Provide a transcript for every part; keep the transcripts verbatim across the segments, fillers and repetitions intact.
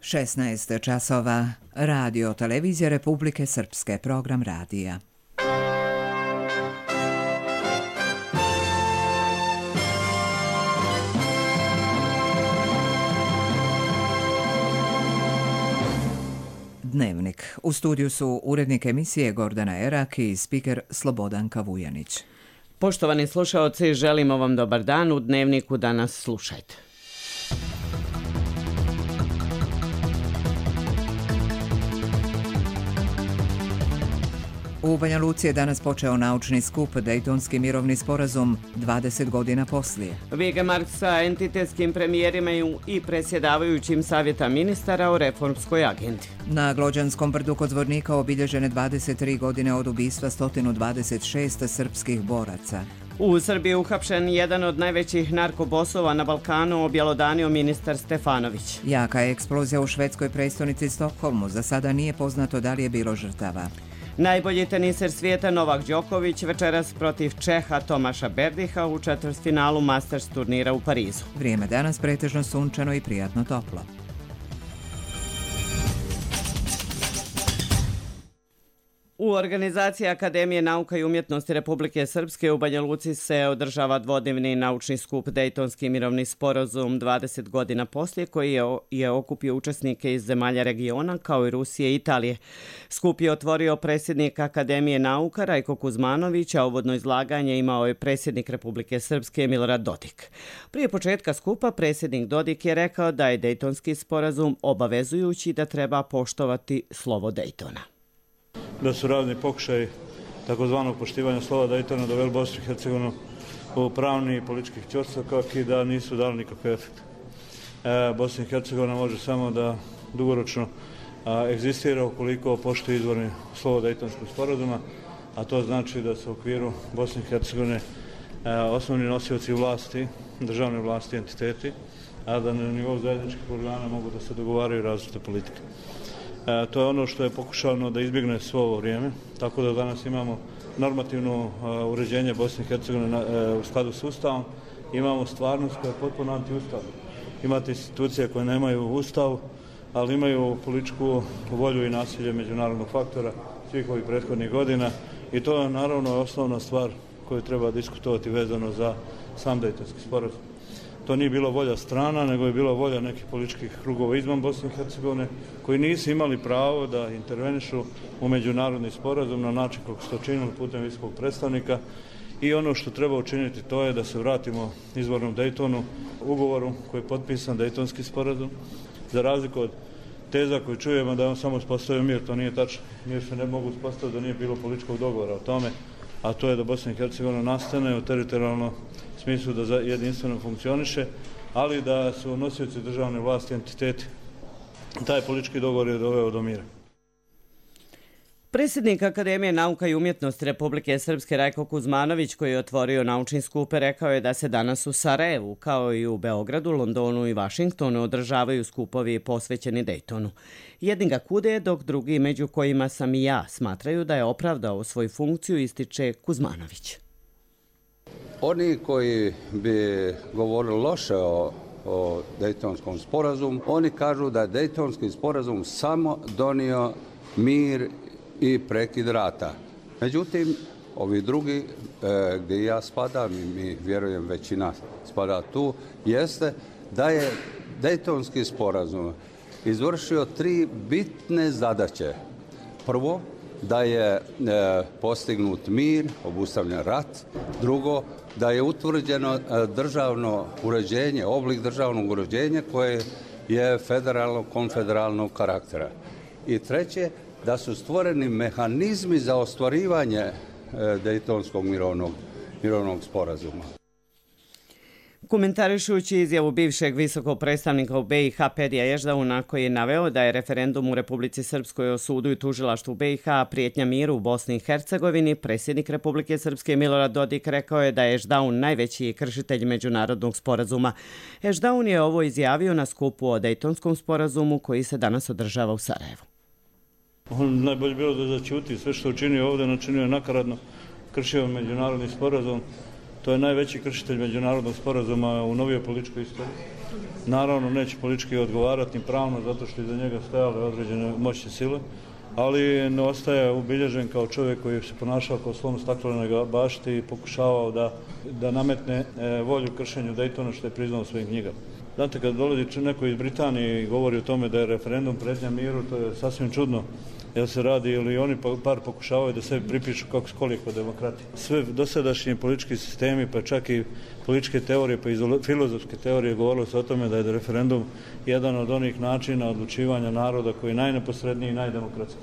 šesnaest časova. Radio Televizija Republike Srpske, program radija. Dnevnik. U studiju su urednik emisije Gordana Erak i spiker Slobodanka Vujanić. Poštovani slušaoci, želimo vam dobar dan. U Dnevniku danas slušajte. U Banja Luci je danas počeo naučni skup Dejtonski mirovni sporazum dvadeset godina poslije. Vigemark sa entitetskim premijerima i presjedavajućim savjeta ministara o reformskoj agendi. Na Glođanskom brdu kod Zvornika obilježene dvadeset tri godine od ubistva sto dvadeset šest srpskih boraca. U Srbiji uhapšen jedan od najvećih narkobosova na Balkanu, objelodanio ministar Stefanović. Jaka je eksplozija u švedskoj prestonici Stokholmu. Za sada nije poznato da li je bilo žrtava. Najbolji teniser svijeta Novak Đoković večeras protiv Čeha Tomaša Berdiha u četvrtfinalu Masters turnira u Parizu. Vrijeme danas pretežno sunčano i prijatno toplo. U organizaciji Akademije nauka i umjetnosti Republike Srpske u Banja Luci se održava dvodnevni naučni skup Dejtonski mirovni sporazum dvadeset godina poslije, koji je, je okupio učesnike iz zemalja regiona kao i Rusije i Italije. Skup je otvorio predsjednik Akademije nauka Rajko Kuzmanović, a uvodno izlaganje imao je predsjednik Republike Srpske Milorad Dodik. Prije početka skupa predsjednik Dodik je rekao da je Dejtonski sporazum obavezujući, da treba poštovati slovo Dejtona. Da su razni pokušaj takozvanog poštivanja slova Dejtona doveli Bosnu i Hercegovinu u pravni i političkih ćorsokak i da nisu dali nikakve efekte. E, Bosna i Hercegovina može samo da dugoročno a, egzistira ukoliko poštuje izvorni slovo Dejtonskog sporazuma, a to znači da se u okviru Bosne i Hercegovine a, osnovni nosioci vlasti, državne vlasti, entiteti, a da na nivou zajedničkih organa mogu da se dogovaraju različite politike. E, to je ono što je pokušano da izbjegne svo ovo vrijeme, tako da danas imamo normativno e, uređenje Bosne i Hercegovine e, u skladu s Ustavom, imamo stvarnost koja je potpuno antiustavna. Imate institucije koje nemaju Ustav, ali imaju političku volju i nasilje međunarodnog faktora svih ovih prethodnih godina i to je naravno osnovna stvar koju treba diskutovati vezano za sam Dejtonski sporazum. To nije bilo volja strana, nego je bila volja nekih političkih krugova izvan Bosne i Hercegovine koji nisu imali pravo da intervenišu u međunarodni sporazum na način kako su to činili putem visokog predstavnika. I ono što treba učiniti to je da se vratimo izvornom Dejtonu, ugovoru koji je potpisan, Dejtonski sporazum. Za razliku od teza koju čujemo da je on samo uspostavio mir, to nije tačno. Mir se ne mogu uspostaviti da nije bilo političkog dogovora o tome, a to je da Bosna i Hercegovina nastane u teritorijalnom smislu da jedinstveno funkcioniše, ali da su nosioci državne vlasti entiteti. Taj politički dogovor je doveo do mira. Predsjednik Akademije nauka i umjetnosti Republike Srpske Rajko Kuzmanović, koji je otvorio naučni skup, rekao je da se danas u Sarajevu, kao i u Beogradu, Londonu i Vašingtonu, održavaju skupovi posvećeni Dejtonu. Jedni ga kude, dok drugi, među kojima sam i ja, smatraju da je opravdao svoju funkciju, ističe Kuzmanović. Oni koji bi govorili loše o, o Dejtonskom sporazumu, oni kažu da je Dejtonski sporazum samo donio mir i prekid rata. Međutim, ovi drugi, e, gdje ja spadam i mi vjerujem većina spada tu, jeste da je Dejtonski sporazum izvršio tri bitne zadaće. Prvo, da je e, postignut mir, obustavljen rat. Drugo, da je utvrđeno e, državno uređenje, oblik državnog uređenja koje je federalnog, konfederalnog karaktera. I treće, da su stvoreni mehanizmi za ostvarivanje e, Dejtonskog mirovnog, mirovnog sporazuma. Komentarišući izjavu bivšeg visokog predstavnika u B i H Pedija Ježdauna, koji je naveo da je referendum u Republici Srpskoj o sudu i tužilaštvu B i H prijetnja miru u Bosni i Hercegovini, predsjednik Republike Srpske Milorad Dodik rekao je da je Ježdaun najveći kršitelj međunarodnog sporazuma. Ježdaun je ovo izjavio na skupu o Dejtonskom sporazumu koji se danas održava u Sarajevu. On najbolje bilo da začuti sve što učinio ovdje, načinio je nakaradno, kršio međunarodni sporazum. To je najveći kršitelj međunarodnog sporazuma u novijoj političkoj istoriji. Naravno, neće politički odgovarati ni pravno, zato što iza njega stajale određene moćne sile, ali ne ostaje ubilježen kao čovjek koji se ponašao kao slon u staklenoj bašti i pokušavao da, da nametne volju kršenju Daytona, što je priznao u svojim knjigama. Znate, kad dolazi neko iz Britanije i govori o tome da je referendum pretnja miru, to je sasvim čudno, jer se radi ili oni par pokušavaju da sebi pripišu kako skoliko demokrati. Sve dosadašnji politički sistemi, pa čak i političke teorije, pa i filozofske teorije govorilo se o tome da je referendum jedan od onih načina odlučivanja naroda koji je najneposredniji i najdemokratski.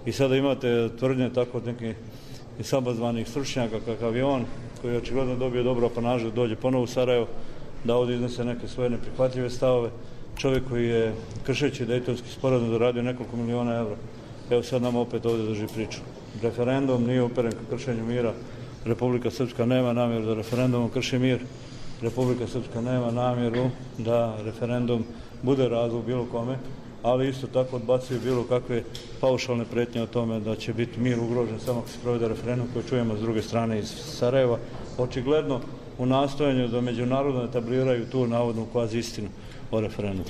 I sada imate tvrdnje tako od nekih samozvanih stručnjaka kakav je on, koji je očigledno dobio dobro apanažu da dođe ponovo u Sarajevo, da ovdje iznese neke svoje neprihvatljive stavove. Čovjek koji je kršeći Dejtonski sporazum zaradio nekoliko miliona evra. Evo sad nam opet ovdje drži priču. Referendum nije uperen ka kršenju mira. Republika Srpska nema namjeru da referendumom krši mir. Republika Srpska nema namjeru da referendum bude razlog bilo kome, ali isto tako odbacuju bilo kakve paušalne pretnje o tome da će biti mir ugrožen samo ako se provede referendum koji čujemo s druge strane iz Sarajeva. Očigledno u nastojanju da međunarodno etabliraju tu navodnu kvazi istinu o referendumu.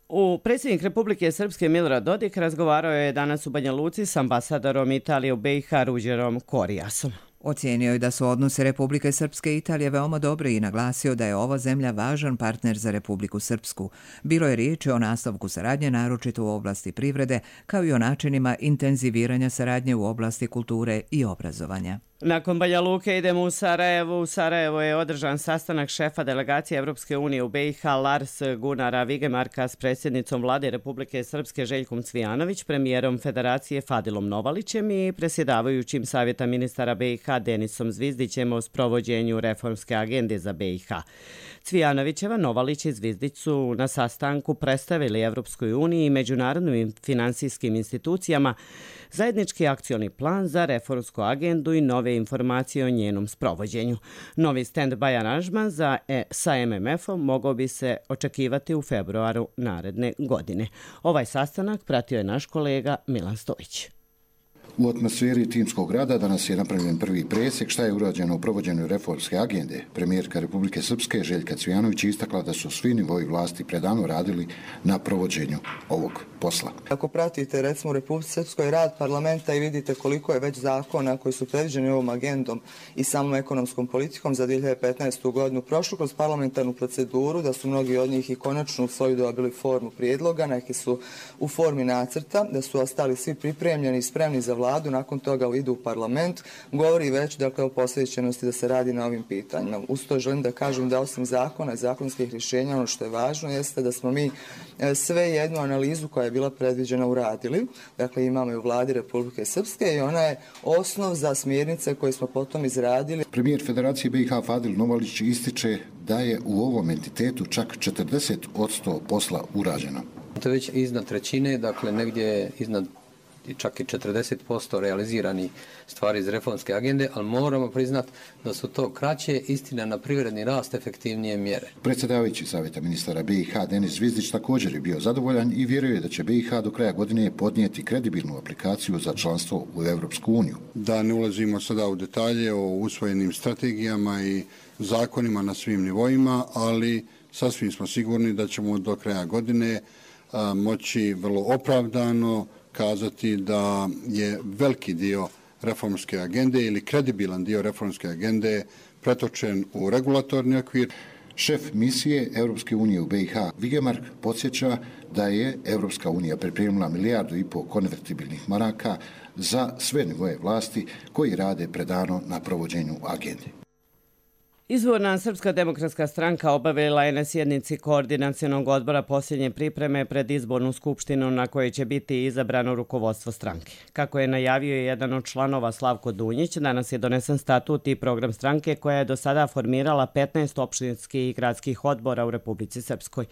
U predsjednik Republike Srpske Milorad Dodik razgovarao je danas u Banja Luci s ambasadorom Italije u B i H Ruđerom Korijasom. Ocijenio je da su odnose Republike Srpske i Italije veoma dobri i naglasio da je ova zemlja važan partner za Republiku Srpsku. Bilo je riječi o nastavku saradnje, naročito u oblasti privrede, kao i o načinima intenziviranja saradnje u oblasti kulture i obrazovanja. Nakon Banja Luke idemo u Sarajevo. U Sarajevo je održan sastanak šefa delegacije Evropske unije u B i H Lars Gunara Vigemarka s predsjednicom vlade Republike Srpske Željkom Cvijanović, premijerom Federacije Fadilom Novalićem i predsjedavajućim Savjeta ministara B i H Denisom Zvizdićem o sprovođenju reformske agende za B i H. Cvijanovićeva, Novalić i Zvizdić su na sastanku predstavili Evropskoj uniji i međunarodnim finansijskim institucijama zajednički akcioni plan za reformsku agendu i nove informacije o njenom sprovođenju. Novi stand-by aranžman za e, sa M M F-om mogao bi se očekivati u februaru naredne godine. Ovaj sastanak pratio je naš kolega Milan Stojić. U atmosferi timskog rada danas je napravljen prvi presjek šta je urađeno u provođenju reformske agende. Premijerka Republike Srpske Željka Cvijanović istakla da su svi nivoji vlasti predano radili na provođenju ovog posla. Ako pratite recimo u Republici Srpskoj rad parlamenta i vidite koliko je već zakona koji su predviđeni ovom agendom i samom ekonomskom politikom za dvije hiljade petnaestu. godinu prošlu kroz parlamentarnu proceduru, da su mnogi od njih i konačno u svoju dobili formu prijedloga, neki su u formi nacrta, da su ostali svi pripremljeni i spremni za vladu, nakon toga idu u parlament, govori već dakle o posvećenosti da se radi na ovim pitanjima. Uz to želim da kažem da osim zakona i zakonskih rješenja, ono što je važno jeste da smo mi sve jednu analizu koja je bila predviđena uradili. Dakle, imamo i u vladi Republike Srpske i ona je osnov za smjernice koje smo potom izradili. Premijer Federacije B i H Fadil Novalić ističe da je u ovom entitetu čak četrdeset posto posla urađeno. To je već iznad trećine, dakle negdje iznad čak i četrdeset posto realizirani stvari iz reformske agende, ali moramo priznati da su to kraće, istina na privredni rast, efektivnije mjere. Predsjedavajući Savjeta ministara B i H Denis Zvizdić također je bio zadovoljan i vjeruje da će B i H do kraja godine podnijeti kredibilnu aplikaciju za članstvo u Evropsku uniju. Da ne ulazimo sada u detalje o usvojenim strategijama i zakonima na svim nivoima, ali sasvim smo sigurni da ćemo do kraja godine a, moći vrlo opravdano kazati da je veliki dio reformske agende ili kredibilan dio reformske agende pretočen u regulatorni okvir. Šef misije Europske unije u B i H Vigemark podsjeća da je Europska unija pripremila milijardu i pol konvertibilnih maraka za sve nivoje vlasti koji rade predano na provođenju agende. Izvorna Srpska demokratska stranka obavila je na sjednici koordinacionog odbora posljednje pripreme pred izbornu skupštinu na kojoj će biti izabrano rukovodstvo stranke. Kako je najavio jedan od članova Slavko Dunjić, danas je donesen statut i program stranke koja je do sada formirala petnaest opštinskih i gradskih odbora u Republici Srpskoj.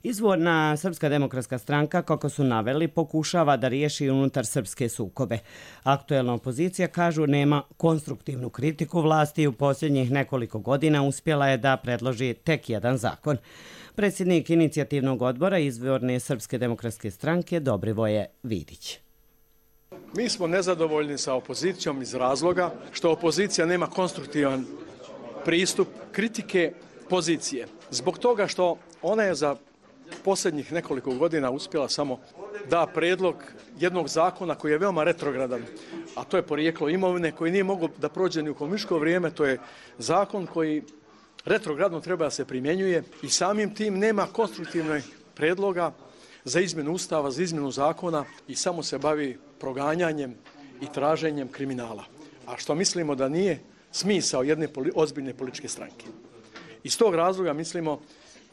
Izvorna Srpska demokratska stranka, kako su naveli, pokušava da riješi unutar srpske sukobe. Aktuelna opozicija, kažu, nema konstruktivnu kritiku vlasti i u posljednjih nekoliko godina uspjela je da predloži tek jedan zakon. Predsjednik inicijativnog odbora izvorne Srpske demokratske stranke Dobrivoje Vidić. Mi smo nezadovoljni sa opozicijom iz razloga što opozicija nema konstruktivan pristup kritike pozicije. Zbog toga što ona je za posljednjih nekoliko godina uspjela samo da predlog jednog zakona koji je veoma retrogradan, a to je porijeklo imovine, koji nije mogao da prođe ni u komunističko vrijeme. To je zakon koji retrogradno treba da se primjenjuje i samim tim nema konstruktivnog predloga za izmjenu ustava, za izmjenu zakona i samo se bavi proganjanjem i traženjem kriminala. A što mislimo da nije smisao jedne ozbiljne političke stranke. Iz tog razloga mislimo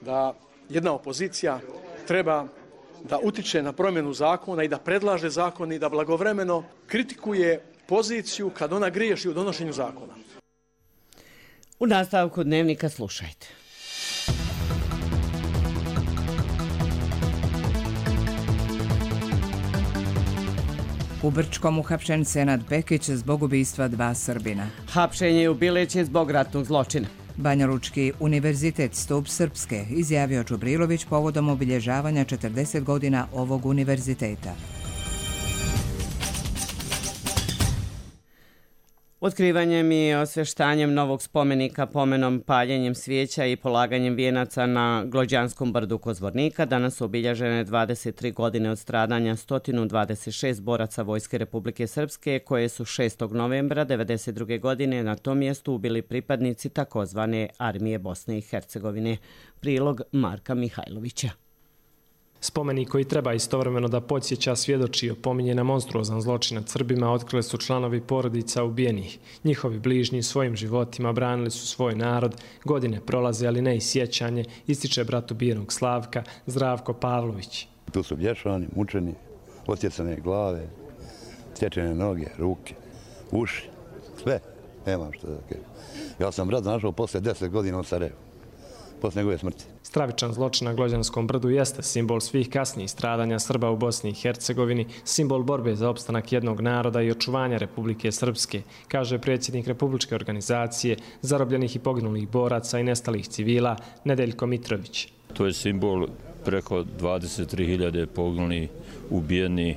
da jedna opozicija treba da utiče na promjenu zakona i da predlaže zakon i da blagovremeno kritikuje poziciju kad ona griješi u donošenju zakona. U nastavku Dnevnika slušajte. U Brčkom uhapšen Senad Pekić zbog ubistva dva Srbina. Hapšenje u Bileći zbog ratnog zločina. Banjalučki univerzitet Stup Srpske izjavio Čubrilović povodom obilježavanja četrdeset godina ovog univerziteta. Otkrivanjem i osvještanjem novog spomenika, pomenom, paljenjem svijeća i polaganjem vijenaca na Glođanskom brdu kod Zvornika danas su obilježene dvadeset tri godine od stradanja sto dvadeset šest boraca Vojske Republike Srpske koje su šestog novembra devedeset druge. godine na tom mjestu ubili pripadnici takozvane Armije Bosne i Hercegovine. Prilog Marka Mihajlovića. Spomenik koji treba istovremeno da podsjeća, svjedoči i opominje na monstruozan zločin nad Srbima otkrili su članovi porodica ubijenih. Njihovi bližnji svojim životima branili su svoj narod, godine prolaze, ali ne i sjećanje, ističe brat ubijenog Slavka, Zdravko Pavlović. Tu su bješani, mučeni, osjecane glave, sječene noge, ruke, uši, sve. Nemam što da kažem. Ja sam brat našao posle deset godina u Sarajevu, posle njegove smrti. Stravičan zločin na Glođanskom brdu jeste simbol svih kasnijih stradanja Srba u Bosni i Hercegovini, simbol borbe za opstanak jednog naroda i očuvanja Republike Srpske, kaže predsjednik Republičke organizacije zarobljenih i poginulih boraca i nestalih civila Nedeljko Mitrović. To je simbol preko dvadeset tri hiljade poginulih, ubijenih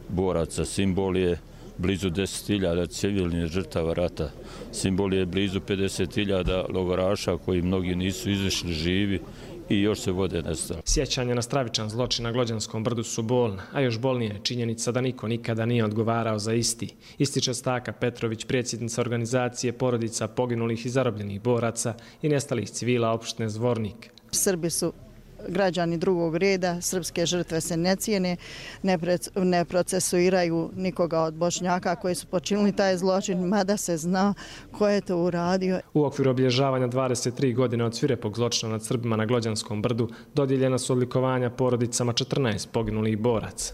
boraca. Simbol je blizu deset hiljada civilnih žrtava rata. Simbol je blizu pedeset hiljada logoraša koji mnogi nisu izašli živi i još se vode nestali. Sjećanje na stravičan zločin na Glođanskom brdu su bolna, a još bolnija je činjenica da niko nikada nije odgovarao za isti. Ističe Staka Petrović, predsjednica organizacije porodica poginulih i zarobljenih boraca i nestalih civila opštine Zvornik. Srbi su građani drugog reda, srpske žrtve se ne cijene, ne procesuiraju nikoga od Bošnjaka koji su počinili taj zločin, mada se zna ko je to uradio. U okviru obilježavanja dvadeset tri godine od svirepog zločina nad Srbima na Glođanskom brdu dodijeljena su odlikovanja porodicama četrnaest poginulih boraca.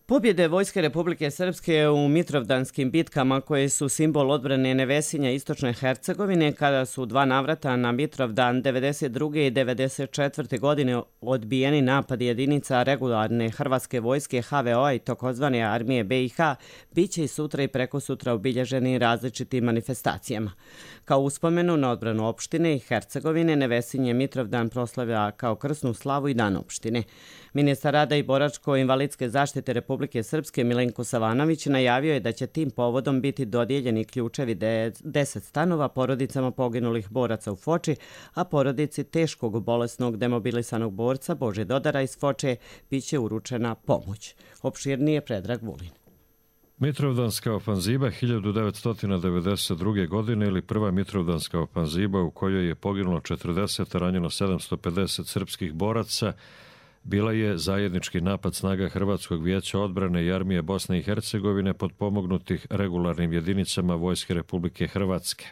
Pobjede Vojske Republike Srpske u Mitrovdanskim bitkama koje su simbol odbrane Nevesinja istočne Hercegovine kada su dva navrata na Mitrovdan devedeset druge i devedeset četvrte. godine odbijeni napad jedinica regularne Hrvatske vojske H V O-a i takozvane Armije B i H bit će i sutra i preko sutra obilježeni različitim manifestacijama. Kao uspomenu na odbranu opštine i Hercegovine, Nevesinje Mitrovdan proslavlja kao krsnu slavu i dan opštine. Ministar rada i boračko-invalidske zaštite Republike Srpske Milenko Savanović najavio je da će tim povodom biti dodijeljeni ključevi deset stanova porodicama poginulih boraca u Foči, a porodici teškog bolesnog demobilisanog borca Bože Dodara iz Foče biće uručena pomoć. Opširnije Predrag Vulin. Mitrovdanska ofanziva hiljadu devetsto devedeset druge. godine ili prva Mitrovdanska ofanziva u kojoj je poginulo četrdeset, ranjeno sedamsto pedeset srpskih boraca, bila je zajednički napad snaga Hrvatskog vijeća odbrane i Armije Bosne i Hercegovine potpomognutih regularnim jedinicama Vojske Republike Hrvatske.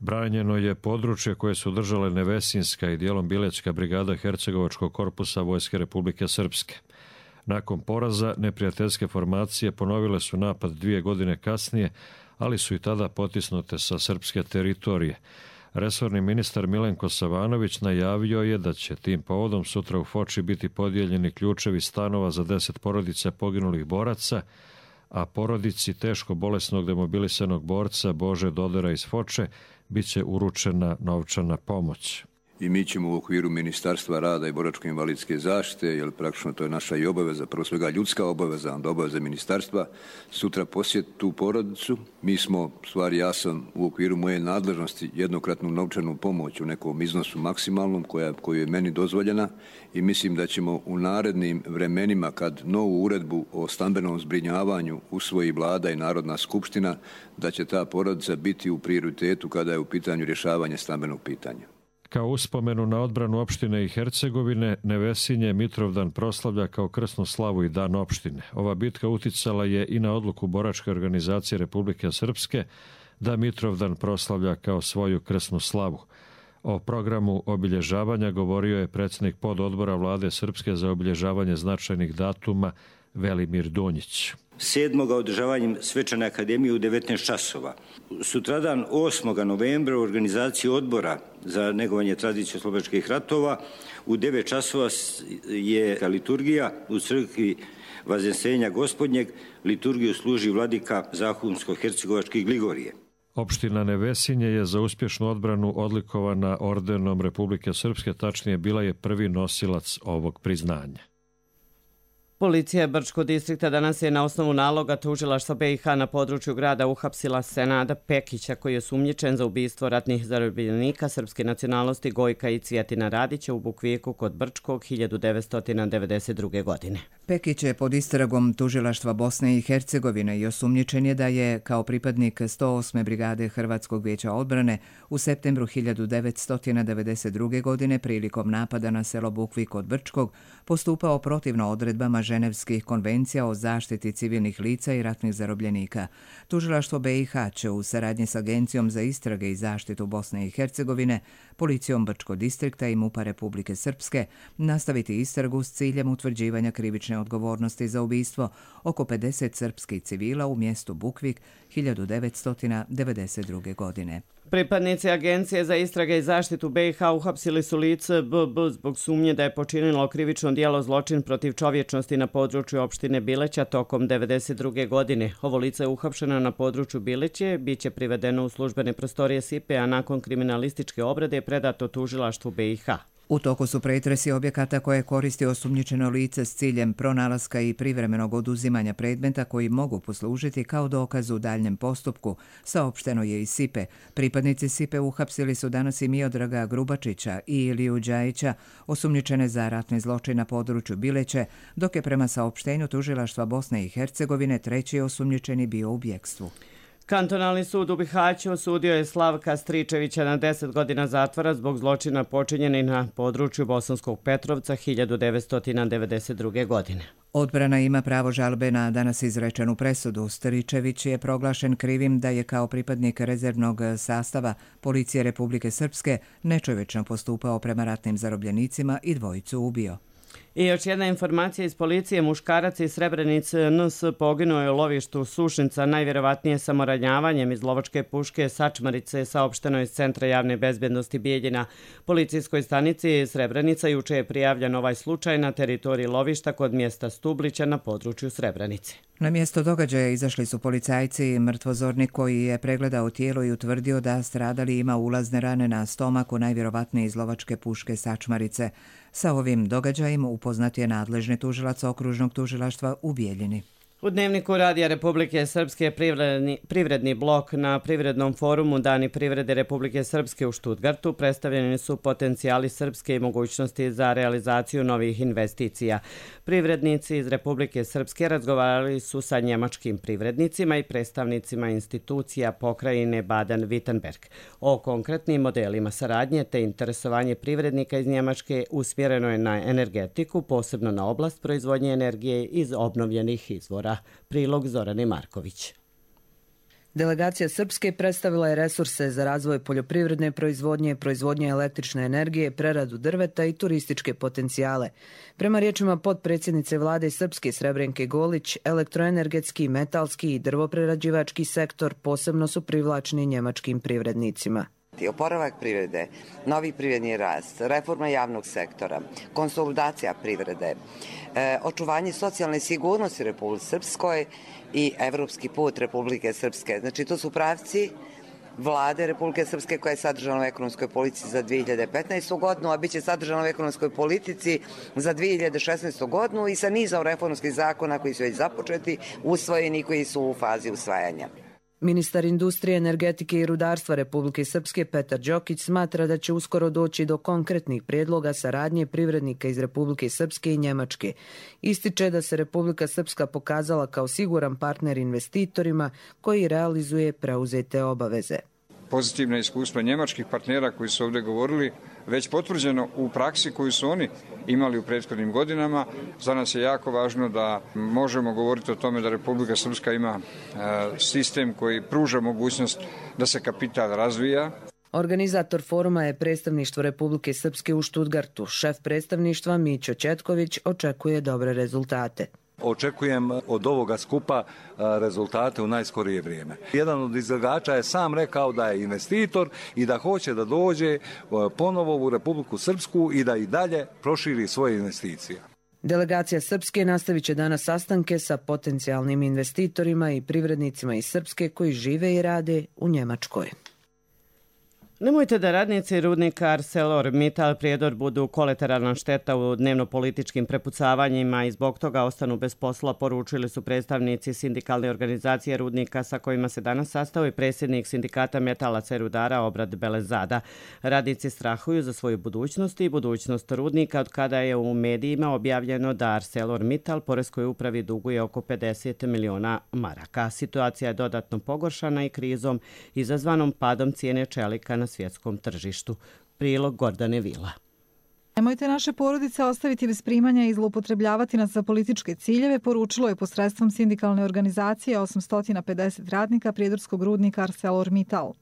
Branjeno je područje koje su držale Nevesinska i dijelom Bilećka brigada Hercegovačkog korpusa Vojske Republike Srpske. Nakon poraza, neprijateljske formacije ponovile su napad dvije godine kasnije, ali su i tada potisnute sa srpske teritorije. Resorni ministar Milenko Savanović najavio je da će tim povodom sutra u Foči biti podijeljeni ključevi stanova za deset porodica poginulih boraca, a porodici teško bolesnog demobilisanog borca Bože Dodera iz Foče bit će uručena novčana pomoć. i mi ćemo u okviru Ministarstva rada i boračko-invalidske zaštite, jer praktično to je naša i obaveza, prvo svega ljudska obaveza, onda obaveza ministarstva, sutra posjetiti tu porodicu. Mi smo, stvari ja sam u okviru moje nadležnosti jednokratnu novčanu pomoć u nekom iznosu maksimalnom koja, koju je meni dozvoljena i mislim da ćemo u narednim vremenima kad novu uredbu o stambenom zbrinjavanju usvoji Vlada i Narodna skupština, da će ta porodica biti u prioritetu kada je u pitanju rješavanje stambenog pitanja. Kao uspomenu na odbranu opštine i Hercegovine, Nevesinje Mitrovdan proslavlja kao krsnu slavu i dan opštine. Ova bitka uticala je i na odluku Boračke organizacije Republike Srpske da Mitrovdan proslavlja kao svoju krsnu slavu. O programu obilježavanja govorio je predsjednik pododbora Vlade Srpske za obilježavanje značajnih datuma Velimir Donjić. sedmog održavanjem Svečane akademije u devetnaest časova. Sutradan osmog novembra u organizaciji odbora za negovanje tradicije oslobačkih ratova u devet časova je liturgija u crkvi Vaznsenja Gospodnjeg. Liturgiju služi vladika Zahumsko-hercegovački Gligorije. Opština Nevesinje je za uspješnu odbranu odlikovana ordenom Republike Srpske, tačnije bila je prvi nosilac ovog priznanja. Policija Brčkog distrikta danas je na osnovu naloga tužilaštva B i H na području grada uhapsila Senada Pekića, koji je sumnjičen za ubistvo ratnih zarobljenika srpske nacionalnosti Gojka i Cvjetina Radića u Bukvijeku kod Brčkog hiljadu devetsto devedeset druge. godine. Pekić je pod istragom tužilaštva Bosne i Hercegovine i osumnjičen je da je kao pripadnik sto osme brigade Hrvatskog vijeća odbrane u septembru hiljadu devetsto devedeset druge. godine prilikom napada na selo Bukvik kod Brčkog postupao protivno odredbama Ženevskih konvencija o zaštiti civilnih lica i ratnih zarobljenika. Tužilaštvo B i H će u saradnji s Agencijom za istrage i zaštitu Bosne i Hercegovine, Policijom Brčkog distrikta i MUP-a Republike Srpske nastaviti istragu s ciljem utvrđivanja krivične odgovornosti za ubistvo oko pedeset srpskih civila u mjestu Bukvik hiljadu devetsto devedeset druge. godine. Pripadnici Agencije za istrage i zaštitu B i H uhapsili su lice B B zbog sumnje da je počinilo krivično djelo zločin protiv čovječnosti na području opštine Bileća tokom devedeset druge. godine. Ovo lice je uhapšeno na području Bileće, bit će privedeno u službene prostorije S I P E, a nakon kriminalističke obrade je predato tužilaštvu B i H. U toku su pretresi objekata koje koristi osumnjičeno lice s ciljem pronalaska i privremenog oduzimanja predmeta koji mogu poslužiti kao dokaz u daljnjem postupku, saopšteno je i S I P E. Pripadnici S I P E uhapsili su danas i Miodraga Grubačića i Iliju Đajića, osumnjičene za ratni zločin na području Bileće, dok je prema saopštenju tužilaštva Bosne i Hercegovine treći osumnjičeni bio u bjekstvu. Kantonalni sud u Bihaću osudio je Slavka Stričevića na deset godina zatvora zbog zločina počinjenih na području Bosanskog Petrovca hiljadu devetsto devedeset druge. godine. Odbrana ima pravo žalbe na danas izrečenu presudu. Stričević je proglašen krivim da je kao pripadnik rezervnog sastava Policije Republike Srpske nečovječno postupao prema ratnim zarobljenicima i dvojicu ubio. I još jedna informacija iz policije. Muškarac iz Srebrenice N S poginuo je u lovištu Sušnica, najvjerovatnije samoranjavanjem iz lovačke puške Sačmarice, saopšteno iz Centra javne bezbjednosti Bijeljina. Policijskoj stanici Srebrenica juče je prijavljen ovaj slučaj na teritoriji lovišta kod mjesta Stublića na području Srebrenice. Na mjesto događaja izašli su policajci i mrtvozornik koji je pregledao tijelo i utvrdio da stradali ima ulazne rane na stomaku, najvjerovatnije iz lovačke puške Sačmarice. Sa ovim događajem upoznat je nadležni tužilac okružnog tužilaštva u Bijeljini. U Dnevniku Radija Republike Srpske privredni, privredni blok na Privrednom forumu Dani privrede Republike Srpske u Štutgartu predstavljeni su potencijali Srpske i mogućnosti za realizaciju novih investicija. Privrednici iz Republike Srpske razgovarali su sa njemačkim privrednicima i predstavnicima institucija pokrajine Baden-Württemberg. O konkretnim modelima saradnje te interesovanje privrednika iz Njemačke usmjereno je na energetiku, posebno na oblast proizvodnje energije iz obnovljenih izvora. Prilog Zorane Marković. Delegacija Srpske predstavila je resurse za razvoj poljoprivredne proizvodnje, proizvodnje električne energije, preradu drveta i turističke potencijale. Prema riječima potpredsjednice vlade Srpske Srebrenke Golić, elektroenergetski, metalski i drvoprerađivački sektor posebno su privlačni njemačkim privrednicima. Oporavak privrede, novi privredni rast, reforma javnog sektora, konsolidacija privrede, e, očuvanje socijalne sigurnosti Republike Srpskoj i evropski put Republike Srpske. Znači, to su pravci vlade Republike Srpske koja je sadržana u ekonomskoj politici za dvije hiljade petnaestu godinu, a bit će sadržana u ekonomskoj politici za dvije hiljade šesnaestu godinu i sa nizom reformskih zakona koji su već započeti, usvojeni i koji su u fazi usvajanja. Ministar industrije, energetike i rudarstva Republike Srpske Petar Đokić smatra da će uskoro doći do konkretnih prijedloga saradnje privrednika iz Republike Srpske i Njemačke. Ističe da se Republika Srpska pokazala kao siguran partner investitorima koji realizuje preuzete obaveze. Pozitivna iskustva njemačkih partnera koji su ovdje govorili već potvrđeno u praksi koju su oni imali u prethodnim godinama. Za nas je jako važno da možemo govoriti o tome da Republika Srpska ima sistem koji pruža mogućnost da se kapital razvija. Organizator foruma je predstavništvo Republike Srpske u Štutgartu. Šef predstavništva Mićo Četković očekuje dobre rezultate. Očekujem od ovoga skupa rezultate u najskorije vrijeme. Jedan od izlagača je sam rekao da je investitor i da hoće da dođe ponovo u Republiku Srpsku i da i dalje proširi svoje investicije. Delegacija Srpske nastavit će danas sastanke sa potencijalnim investitorima i privrednicima iz Srpske koji žive i rade u Njemačkoj. Nemojte da radnici rudnika ArcelorMittal Prijedor budu kolateralna šteta u dnevno-političkim prepucavanjima i zbog toga ostanu bez posla, poručili su predstavnici sindikalne organizacije rudnika sa kojima se danas sastao i predsjednik sindikata metalaca i rudara Obrad Belezada. Radnici strahuju za svoju budućnost i budućnost rudnika od kada je u medijima objavljeno da ArcelorMittal poreskoj upravi duguje oko pedeset miliona maraka. Situacija je dodatno pogoršana i krizom izazvanom padom cijene čelika na svjetskom tržištu. Prilog Gordane Vila. Nemojte naše porodice ostaviti bez primanja i zloupotrebljavati nas za političke ciljeve, poručilo je posredstvom sindikalne organizacije osamsto pedeset radnika prijedorskog rudnika ArcelorMittal.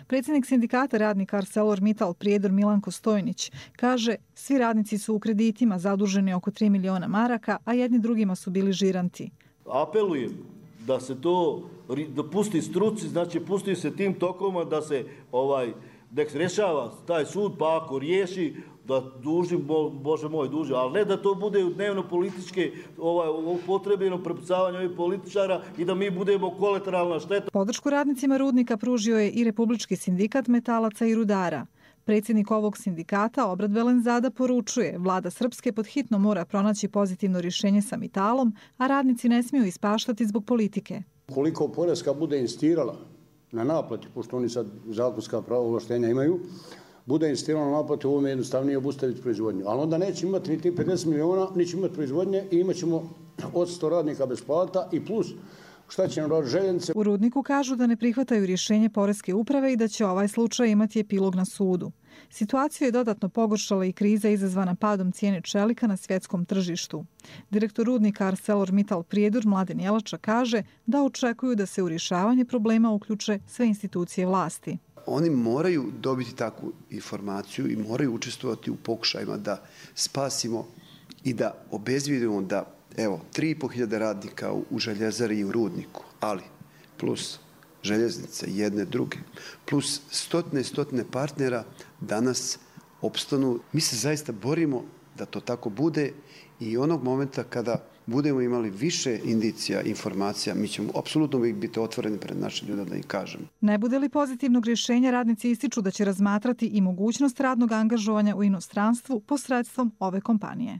Predsjednik sindikata radnika ArcelorMittal Prijedor Milanko Stojnić kaže: svi radnici su u kreditima zaduženi oko tri miliona maraka, a jedni drugima su bili žiranti. Apelujem da se to da pusti struci, znači pusti se tim tokovima da se ovaj da se rješava taj sud, pa ako riješi da duži, bo, Bože moj, duži, ali ne da to bude u dnevno političke ovaj, upotrebljeno prepucavanje ovih političara i da mi budemo kolateralna šteta. Podršku radnicima rudnika pružio je i Republički sindikat metalaca i rudara. Predsjednik ovog sindikata Obrad Belezada poručuje: vlada Srpske pod hitno mora pronaći pozitivno rješenje sa Mitalom, a radnici ne smiju ispaštati zbog politike. Koliko poreska bude insistirala na naplati, pošto oni sad zakonska prava ovlaštenja imaju, bude insistirala na naplati, ovo je jednostavnije obustaviti proizvodnju. Ali onda neće imati ni ti pedeset miliona, neće imati proizvodnje i imat ćemo osamsto radnika bez plata i plus šta će nam raditi željenice. U rudniku kažu da ne prihvataju rješenje poreske uprave i da će ovaj slučaj imati epilog na sudu. Situaciju je dodatno pogoršala i kriza izazvana padom cijene čelika na svjetskom tržištu. Direktor rudnika ArcelorMittal Prijedor Mladen Jelača kaže da očekuju da se u rješavanje problema uključe sve institucije vlasti. Oni moraju dobiti takvu informaciju i moraju učestvovati u pokušajima da spasimo i da obezvijedimo da, evo, tri i po hiljade radnika u željezari i u rudniku, ali plus željeznice jedne druge, plus stotine i stotine partnera danas opstanu. Mi se zaista borimo da to tako bude i onog momenta kada budemo imali više indicija, informacija, mi ćemo apsolutno biti otvoreni pred našim ljudima da im kažemo. Ne bude li pozitivnog rješenja, radnici ističu da će razmatrati i mogućnost radnog angažovanja u inostranstvu posredstvom ove kompanije.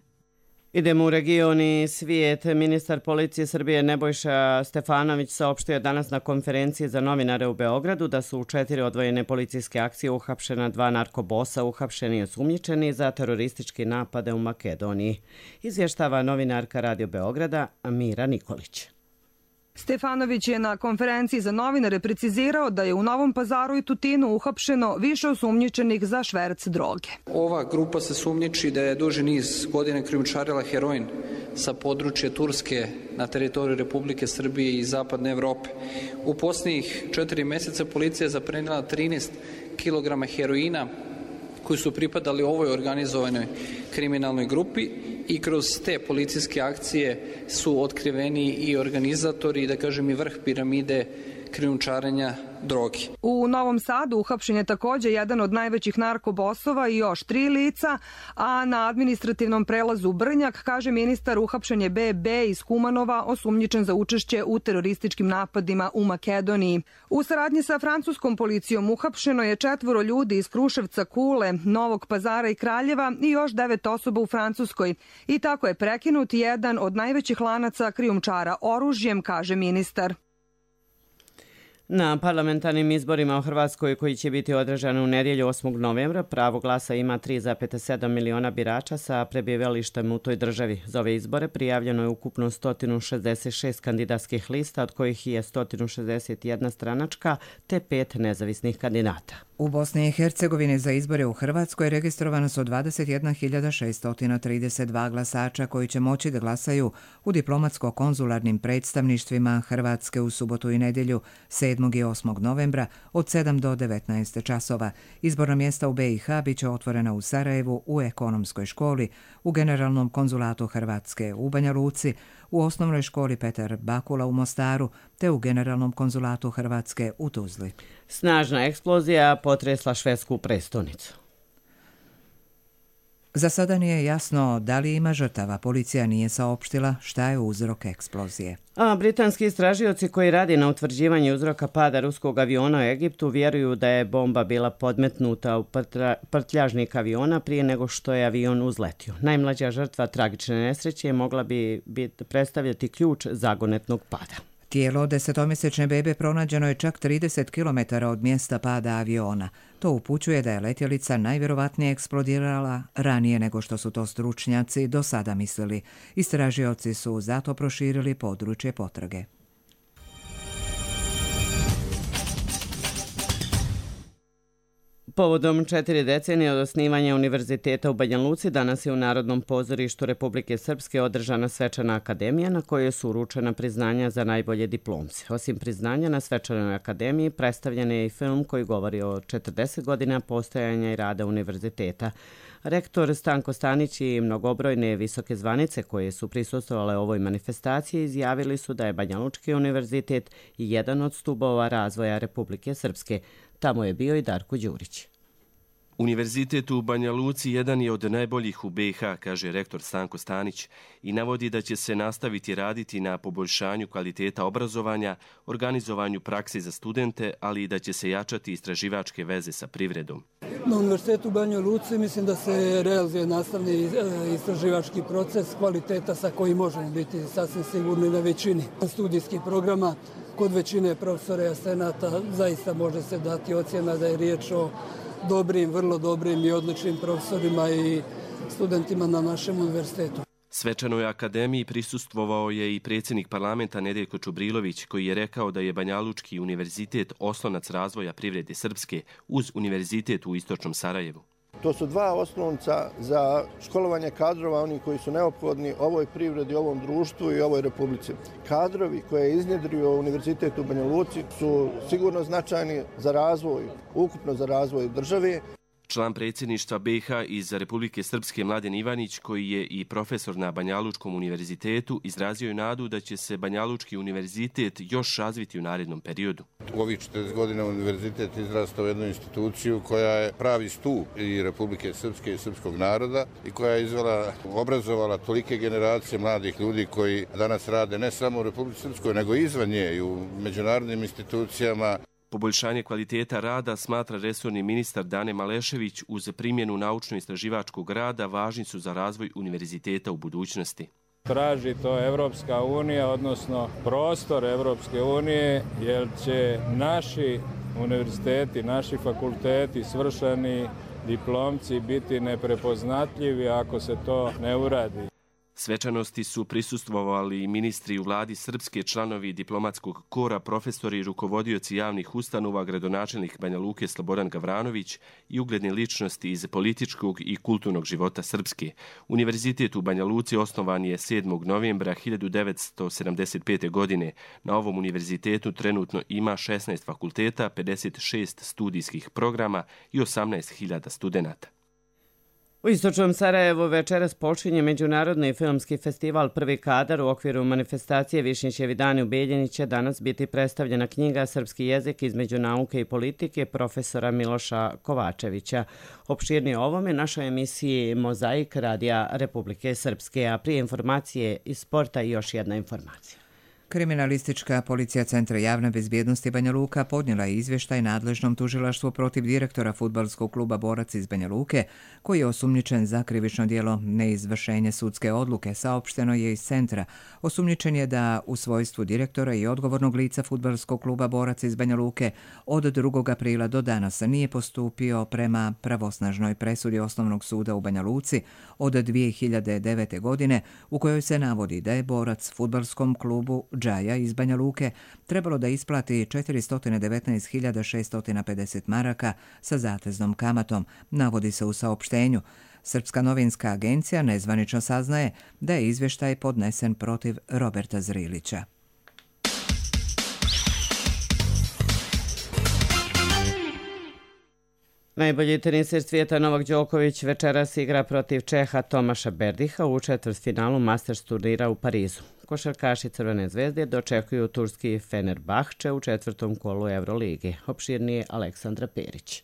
Idemo u region i svijet. Ministar policije Srbije Nebojša Stefanović saopštio je danas na konferenciji za novinare u Beogradu da su u četiri odvojene policijske akcije uhapšena dva narkobosa, uhapšeni i osumnjičeni za terorističke napade u Makedoniji. Izvještava novinarka Radio Beograda Mira Nikolić. Stefanović je na konferenciji za novinare precizirao da je u Novom Pazaru i Tutinu uhapšeno više osumnjičenih za šverc droge. Ova grupa se sumnjiči da je duži niz godina krijumčarila heroin sa područja Turske na teritoriju Republike Srbije i Zapadne Evrope. U posljednjih četiri mjeseca policija je zaprenila trinaest kilograma heroina koji su pripadali ovoj organizovanoj kriminalnoj grupi i kroz te policijske akcije su otkriveni i organizatori, da kažem i vrh piramide krijumčarenja droge. U Novom Sadu uhapšen je također jedan od najvećih narkobosova i još tri lica, a na administrativnom prelazu Brnjak, kaže ministar, uhapšen je B B iz Kumanova, osumnjičen za učešće u terorističkim napadima u Makedoniji. U saradnji sa francuskom policijom uhapšeno je četvoro ljudi iz Kruševca, Kule, Novog Pazara i Kraljeva i još devet osoba u Francuskoj. I tako je prekinut jedan od najvećih lanaca krijumčara oružjem, kaže ministar. Na parlamentarnim izborima u Hrvatskoj koji će biti održani u nedjelju osmog novembra pravo glasa ima tri zarez sedam miliona birača sa prebivalištem u toj državi. Za ove izbore prijavljeno je ukupno sto šezdeset šest kandidatskih lista, od kojih je sto šezdeset jedna stranačka te pet nezavisnih kandidata. U Bosni i Hercegovini za izbore u Hrvatskoj registrovano su dvadeset jedna hiljada šesto trideset dva glasača koji će moći da glasaju u diplomatsko-konzularnim predstavništvima Hrvatske u subotu i nedjelju sedmog i osmog novembra od sedam do devetnaest časova. Izborna mjesta u B i H bit će otvorena u Sarajevu, u Ekonomskoj školi, u Generalnom konzulatu Hrvatske u Banja Luci, u Osnovnoj školi Petar Bakula u Mostaru te u Generalnom konzulatu Hrvatske u Tuzli. Snažna eksplozija potresla švedsku prestonicu. Za sada nije jasno da li ima žrtava. Policija nije saopštila šta je uzrok eksplozije. A britanski istražioci koji radi na utvrđivanju uzroka pada ruskog aviona u Egiptu vjeruju da je bomba bila podmetnuta u prtljažnik aviona prije nego što je avion uzletio. Najmlađa žrtva tragične nesreće mogla bi biti predstavljati ključ zagonetnog pada. Tijelo desetomjesečne bebe pronađeno je čak trideset kilometara od mjesta pada aviona. To upućuje da je letjelica najvjerovatnije eksplodirala ranije nego što su to stručnjaci do sada mislili. Istražioci su zato proširili područje potrage. Povodom četiri decenije od osnivanja Univerziteta u Banja Luci, danas je u Narodnom pozorištu Republike Srpske održana svečana akademija na kojoj su uručena priznanja za najbolje diplomce. Osim priznanja na svečanoj akademiji, predstavljen je i film koji govori o četrdeset godina postojanja i rada univerziteta. Rektor Stanko Stanić i mnogobrojne visoke zvanice koje su prisustvovale ovoj manifestaciji izjavili su da je Banja Lučki univerzitet jedan od stubova razvoja Republike Srpske. Tamo je bio i Darko Đurić. Univerzitet u Banja Luci jedan je od najboljih u B i H, kaže rektor Stanko Stanić, i navodi da će se nastaviti raditi na poboljšanju kvaliteta obrazovanja, organizovanju praksi za studente, ali i da će se jačati istraživačke veze sa privredom. Na Univerzitetu u Banja Luci mislim da se realizuje nastavni istraživački proces kvaliteta sa kojim možemo biti sasvim sigurni na većini studijskih programa. Kod većine profesora i asistenata zaista može se dati ocjena da je riječ o dobrim, vrlo dobrim i odličnim profesorima i studentima na našem univerzitetu. Svečanoj akademiji prisustvovao je i predsjednik parlamenta Nedeljko Čubrilović, koji je rekao da je Banja Lučki univerzitet oslonac razvoja privrede Srpske uz univerzitet u istočnom Sarajevu. To su dva osnovnica za školovanje kadrova, oni koji su neophodni ovoj privredi, ovom društvu i ovoj republici. Kadrovi koje je iznjedrio Univerzitet u Banja Luci su sigurno značajni za razvoj, ukupno za razvoj države. Član predsjedništva B i H iz Republike Srpske Mladen Ivanić, koji je i profesor na Banja Lučkom univerzitetu, izrazio je nadu da će se Banja Lučki univerzitet još razviti u narednom periodu. U ovih četrdeset godina univerzitet izrastao u jednu instituciju koja je pravi stup i Republike Srpske i srpskog naroda i koja je izvela, obrazovala tolike generacije mladih ljudi koji danas rade ne samo u Republike Srpskoj, nego i izvan nje i u međunarodnim institucijama. Poboljšanje kvaliteta rada smatra resorni ministar Dane Malešević uz primjenu naučno-istraživačkog rada važni su za razvoj univerziteta u budućnosti. Traži to Evropska unija, odnosno prostor Evropske unije, jer će naši univerziteti, naši fakulteti, svršeni diplomci biti neprepoznatljivi ako se to ne uradi. Svečanosti su prisustvovali i ministri u vladi Srpske, članovi diplomatskog kora, profesori i rukovodioci javnih ustanova, gradonačelnik Banja Luke Slobodan Gavranović i ugledne ličnosti iz političkog i kulturnog života Srpske. Univerzitet u Banja Luci osnovan je sedmog novembra hiljadu devetsto sedamdeset pete. godine. Na ovom univerzitetu trenutno ima šesnaest fakulteta, pedeset šest studijskih programa i osamnaest hiljada studenata. U istočnom Sarajevu večeras počinje Međunarodni filmski festival Prvi kadar. U okviru manifestacije Višnjićevi dani u Bijeljini će danas biti predstavljena knjiga Srpski jezik između nauke i politike profesora Miloša Kovačevića. Opširnije o ovome našoj emisiji Mozaik Radija Republike Srpske, a prije informacije iz sporta i još jedna informacija. Kriminalistička policija Centra javne bezbjednosti Banja Luka podnijela je izvještaj nadležnom tužilaštvu protiv direktora fudbalskog kluba Borac iz Banja Luke, koji je osumnjičen za krivično djelo neizvršenje sudske odluke, saopšteno je iz centra. Osumnjičen je da u svojstvu direktora i odgovornog lica fudbalskog kluba Borac iz Banja Luke od drugog aprila do danas nije postupio prema pravosnažnoj presudi Osnovnog suda u Banja Luci od dvije hiljade devete. godine, u kojoj se navodi da je Borac fudbalskom klubu Džaja iz Banja Luke trebalo da isplati četiristo devetnaest hiljada šesto pedeset maraka sa zateznom kamatom, navodi se u saopštenju. Srpska novinska agencija nezvanično saznaje da je izvještaj podnesen protiv Roberta Zrilića. Najbolji teniser svijeta Novak Đoković večeras igra protiv Čeha Tomaša Berdiha u četvrtfinalu Masters turnira u Parizu. Košarkaši Crvene zvezde dočekuju turski Fenerbahče u četvrtom kolu Eurolige. Opširnije Aleksandra Perić.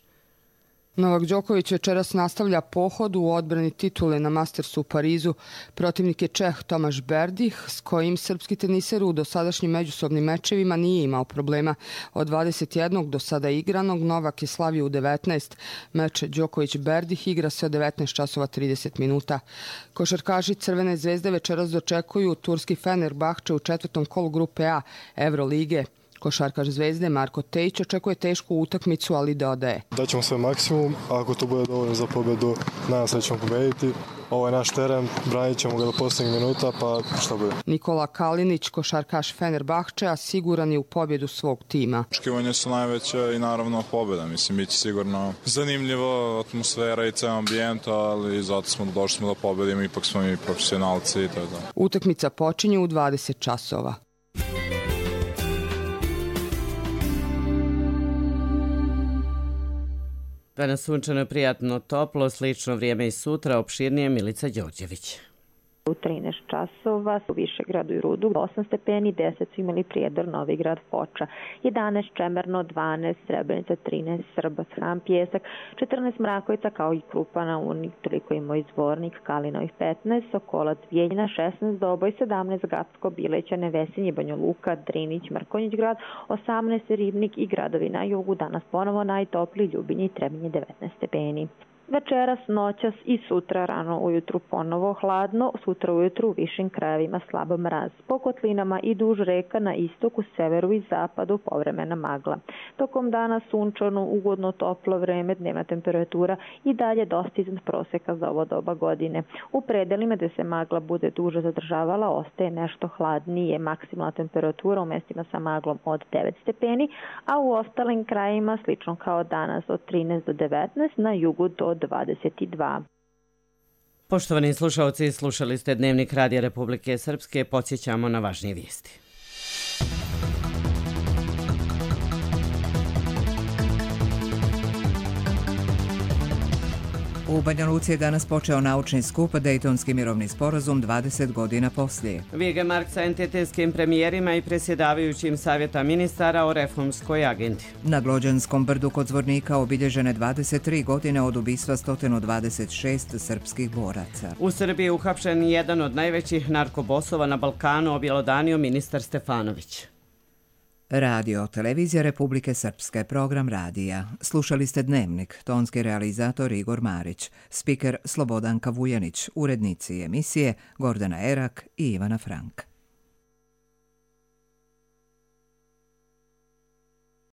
Novak Đoković večeras nastavlja pohod u odbrani titule na Mastersu u Parizu. Protivnik je Čeh Tomaš Berdih, s kojim srpski teniser u dosadašnjim međusobnim mečevima nije imao problema. Od dvadeset jednog do sada igranog Novak je slavio u devetnaest. Meč Đoković-Berdih igra se od devetnaest časova trideset minuta. Košarkaši Crvene zvezde večeras dočekuju turski Fenerbahče u četvrtom kolu grupe A Eurolige. Košarkaš Zvezde Marko Tejić očekuje tešku utakmicu, ali dodaje: Daćemo sve maksimum, a ako to bude dovoljno za pobjedu, nadam se da ćemo pobediti. Ovo je naš teren, branit ćemo ga do posljednjeg minuta, pa šta bude. Nikola Kalinić, košarkaš Fenerbahčea, siguran je u pobjedu svog tima. Očekivanja su najveća i naravno pobjeda. Mislim, bit će sigurno zanimljivo, atmosfera i ceo ambijent, ali zato smo došli smo da pobjedimo, ipak smo mi profesionalci i to je to. Utakmica počinje u dvadeset časova. Danas sunčano, prijatno, toplo, slično vrijeme i sutra, opširnije Milica Đorđević. U trinaest časova u Višegradu i Rudu osam stepeni, deset su imali Prijedor, Novigrad, Foča, jedanaest Čemerno, dvanaest Srebrenica, trinaest Srbac, Hram, Pjesak, četrnaest Mrakovica kao i Krupana, Unik, toliko i moj Zvornik, Kalinovih petnaest, Sokolac, Bijeljina, šesnaest Doboj, sedamnaest Gacko, Bileća, Nevesinje, Banja Luka, Drinić, Mrkonjić grad, osamnaest Ribnik i gradovi na jugu, danas ponovo najtopliji Ljubinje i Trebinje devetnaest stepeni. Večeras, noćas i sutra rano ujutru ponovo hladno, sutra ujutru u višim krajevima slab mraz. Po kotlinama i duž reka na istoku, severu i zapadu povremena magla. Tokom dana sunčano, ugodno toplo vreme, dnevna temperatura i dalje dosta iznad proseka za ovo doba godine. U predelima gde se magla bude duže zadržavala, ostaje nešto hladnije, maksimalna temperatura u mestima sa maglom od devet stepeni, a u ostalim krajevima slično kao danas od trinaest do devetnaest, na jugu do dvadeset dva. Poštovani slušalci, slušali ste Dnevnik Radija Republike Srpske, podsjećamo na važnije vijesti. U Banja Luci je danas počeo naučni skup Dejtonski mirovni sporazum dvadeset godina poslije. Vige Mark sa entitetskim premijerima i presjedavajućim savjeta ministara o reformskoj agendi. Na Glođanskom brdu kod Zvornika obilježene dvadeset tri godine od ubistva sto dvadeset šest srpskih boraca. U Srbiji je uhapšen jedan od najvećih narkobosova na Balkanu, objelodanio ministar Stefanović. Radio, televizija Republike Srpske, program radija. Slušali ste Dnevnik, tonski realizator Igor Marić, spiker Slobodanka Vujanić, urednici emisije Gordana Erak i Ivana Frank.